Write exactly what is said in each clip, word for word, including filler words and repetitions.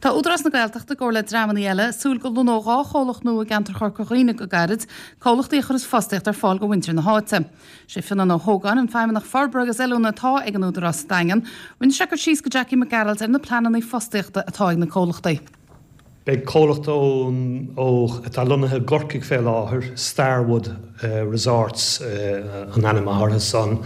Tá Údarás na Gaeltachta i gcomhar le dreamanna eile ag súil go lonnódh dhá chomhlacht nua i gceantar Chorca Dhuibhne go gairid, comhlachtaí a chuirfeas fostaíocht ar fáil do mhuintir na háite. Sé Fionán Ó hÓgáin an feidhmeannach forbartha agus oiliúna atá ag an Údarás sa Daingean. Rinne sé cur síos go Jackie Mac Gearailt ar na pleananna fostaíochta atá ag na comhlachtaí. Beidh comhlacht ó atá lonnaithe i gCorcaigh fé láthair, Starwood Resorts an ainm atá orthu san.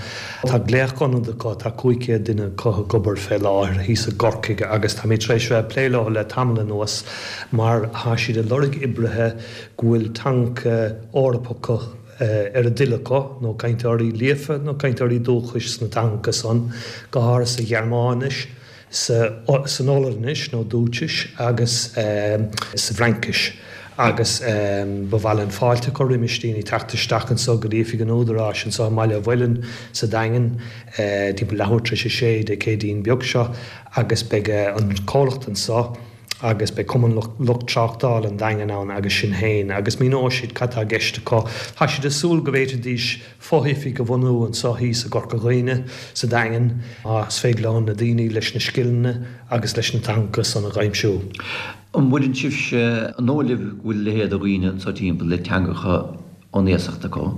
Tá glaoch-ionad acu, tá cúig chéad duine acu ag obair fé láthair thíos i gCorcaigh agus táimid tar éis bheith ag plé leo le tamall anuas mar tá siad ag lorg oibrithe go bhfuil teanga Eorpach ar a dtoil acu, nó cainteoirí líofa nó cainteoirí dúchais sna teangacha san, go háirithe sa Ghearmáinis. san Ollainnis nó Dúitsis agus sa bhFraincis agus ba mhaith linn fáilte a chur roimis daoine teacht isteach anseo go dtí oifig an Údaráis anseo i mBaile an Mhuilinn sa Daingean timpeall leathuair tar éis a sé Dé Céadaoin beag seo agus beidh an comhlacht anseo agus beidh Cumann Lucht Tráchtála an Daingin ann agus sinn féin agus míneoidh siad cad tá i gceist acu. Tá siad ag súil go bhféadfaidís fo-oifig a bhunú anseo thíos i gCorca Dhuibhne, sa Daingean, más féidir leo na daoine leis na scileanna agus leis na teangacha san a dh'aimsiú. An bhfuileann sibhse, an dóigh libh go bhfuil a leithéid de dhaoine anseo timpeall le teangacha ón iasacht acu?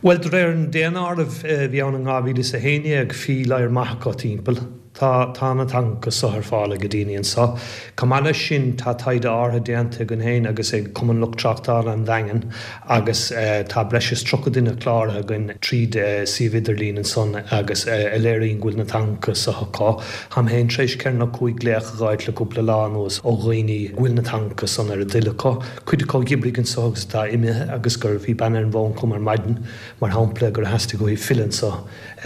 Bhuel, de réir an daonáirimh a bhí ann in dhá mhíle is a haon déag, bhí lear maith acu timpeall. Tá, tá na teangacha so ar fáil ag daoine anso. Chomh maith leis sin, tá taighde áirithe déanta againn féin agus ag Cumann Lucht Tráchtála an Daingin agus tá breis is tríocha duine cláraithe againn tríd suíomh idirlín ansan agus a léiríonn go bhfuil na teangacha so acu. Táim féin tar éis ceithre nó cúig glaoch a dh'fháilt le cúpla lá anuas ó dhaoine go bhfuil na teangacha san ar a dtoil acu. Cuid acu a dh'oibrigh anso agus atá imithe agus gur, bhí bean ar an bhfón chugam ar maidin mar shampla gur theastaigh uaithi filleadh anso.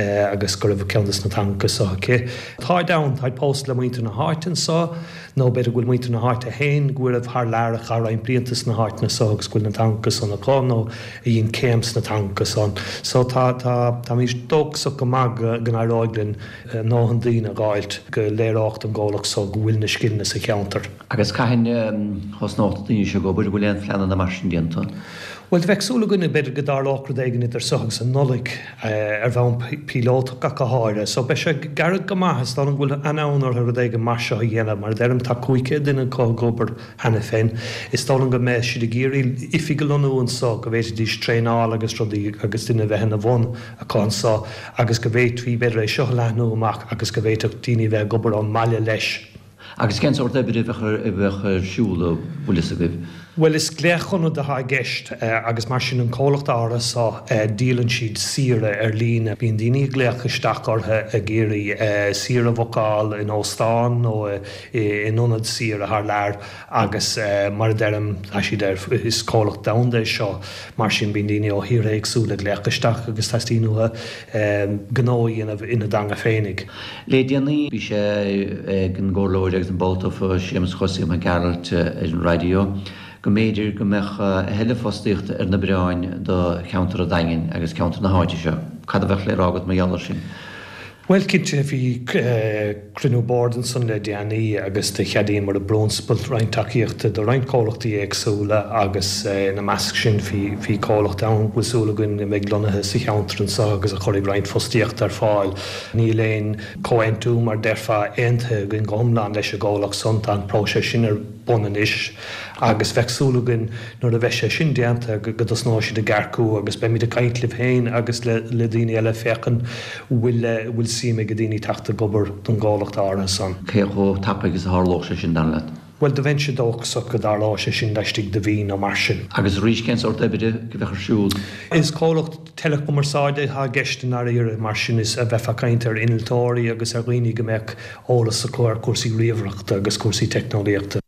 agus go raibh ceann des na teangacha so aici. Táid ann, táid pósta le muintir na háite anso, nó b'fhéidir go bhfuil muintir na háite féin go raibh thar lear a chaith roinnt blianta sna háiteanna so agus go bhfuil na teangacha san acu, nó a dhein céim sna teangacha san. So tá, tá, táimid dóchasach go maith go n-éireoidh linn a ndóthain daoine a dh'fháilt go léireodh don gcomhlacht so go bhfuil na scileanna sa cheantar. Agus cathain a thosnódh na daoine seo ag obair? An bhfuil aon phleananna mar sin déanta? Bhuel, bheadh súil againn b'fhéidir go dtarlódh rud éigin idir seo agus an Nollaig, ar bhonn píolótach ach go háirithe. So beidh sé gairid go maith, is dóigh liom go bhfuil an-fhonn orthu rud éigin mar seo a dhéanamh. Mar a deirim, tá cúig chéad duine acu ag obair cheana féin. Is dóigh liom go mbeidh siad ag iarraidh oifig a lonnú anso, go bhféadfaidís traenáil agus rudaí agus duine a bheith ina bhun acu anso agus go bhféadfaí b'fhéidir é seo a leathnú amach agus go bhféadfadh daoine a bheith ag obair ón mbaile leis. Agus cén sórt oibre a bheadh ar siúl, an bhfuil fhios agaibh? Bhuel, is glaoch-ionad atá i gceist agus mar sin an comhlacht áirithe seo, díolann siad saoire ar líne. Bíonn daoine ag glaoch isteach orthu ag iarraidh saoire a bhookáil in óstán nó in ionad saoire thar lear agus mar a deirim, tá siad ar, is comhlacht domhanda é seo, mar sin bíonn daoine ó thíortha éagsúla ag glaoch isteach agus teastaíonn uathu gnó a dhéanamh ina dteanga féinig. Le déanaí bhí sé ag an gComhairleoir agus an ball tofa Séamus Chosaí Mac Gearailt ar an raidió go mb'fhéidir go mbeadh a thuilleadh fostaíochta ar na bioráin do cheantar an Daingin agus ceantar na háite seo. Cad a bheadh le rá agat mar gheall air sin? Bhuel, cinnte, bhí cruinniú boird ansan le déanaí agus do cheadaíomar i bprionsabal roinnt tacaíochta do roinnt comhlachtaí éagsúla agus ina measc sin bhí comhlacht ann go bhfuil súil againn go mbeidh lonnaithe sa cheantar anso agus a chuirfidh roinnt fostaíochta ar fáil. Níl aon chomhaontú, mar déarfá, aontaithe againn go hiomlán leis an gcomhlacht san, tá an próiseas sin ar bun anois agus bheadh súil againn nuair a bheidh sé sin déanta go dtosnóidh siad ag earcú agus beimid ag caint libh féin agus le daoine eile féachaint bhfuil bhfuil suim ag daoine teacht ag obair don gcomhlacht áirithe san. Cé chomh tapaidh is a tharlódh sé sin, dar leat? Bhuel, do bheinnse dóchasach go dtarlóidh sé sin laistigh de mhí nó mar sin. Agus arís, cén sórt oibre a bheadh ar siúl? Is comhlacht teileachumarsáide atá i gceist i ndáiríre, mar sin is bheifeá ag caint ar innealtóirí agus ar dhaoine go mbeadh eolas acu ar chúrsaí ríomhaireachta agus cúrsaí teicneolaíochta.